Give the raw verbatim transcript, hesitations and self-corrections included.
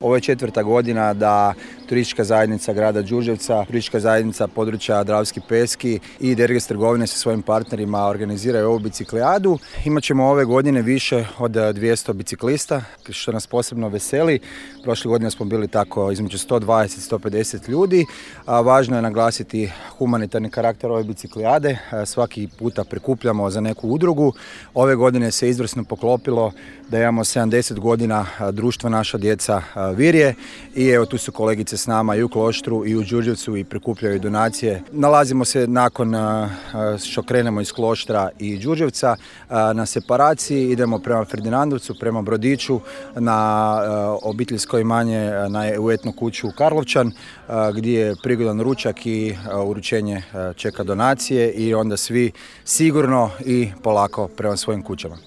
Ovo je četvrta godina da turistička zajednica grada Đurđevca, turistička zajednica područja Dravski Peski i Derges trgovine sa svojim partnerima organiziraju ovu biciklijadu. Imaćemo ove godine više od dvjesto biciklista, što nas posebno veseli. Prošle godine smo bili tako između sto dvadeset do sto pedeset ljudi. A važno je naglasiti humanitarni karakter ove biciklijade. Svaki puta prikupljamo za neku udrugu. Ove godine se izvrsno poklopilo da imamo sedamdeset godina društva Naša djeca Virje i evo tu su kolegice s nama i u Kloštru i u Đurđevcu i prikupljaju donacije. Nalazimo se nakon što krenemo iz Kloštra i Đurđevca na separaciji, idemo prema Ferdinandovcu, prema Brodiću na obiteljsko imanje u etnu kuću Karlovčan gdje je prigodan ručak i uručenje čeka donacije i onda svi sigurno i polako prema svojim kućama.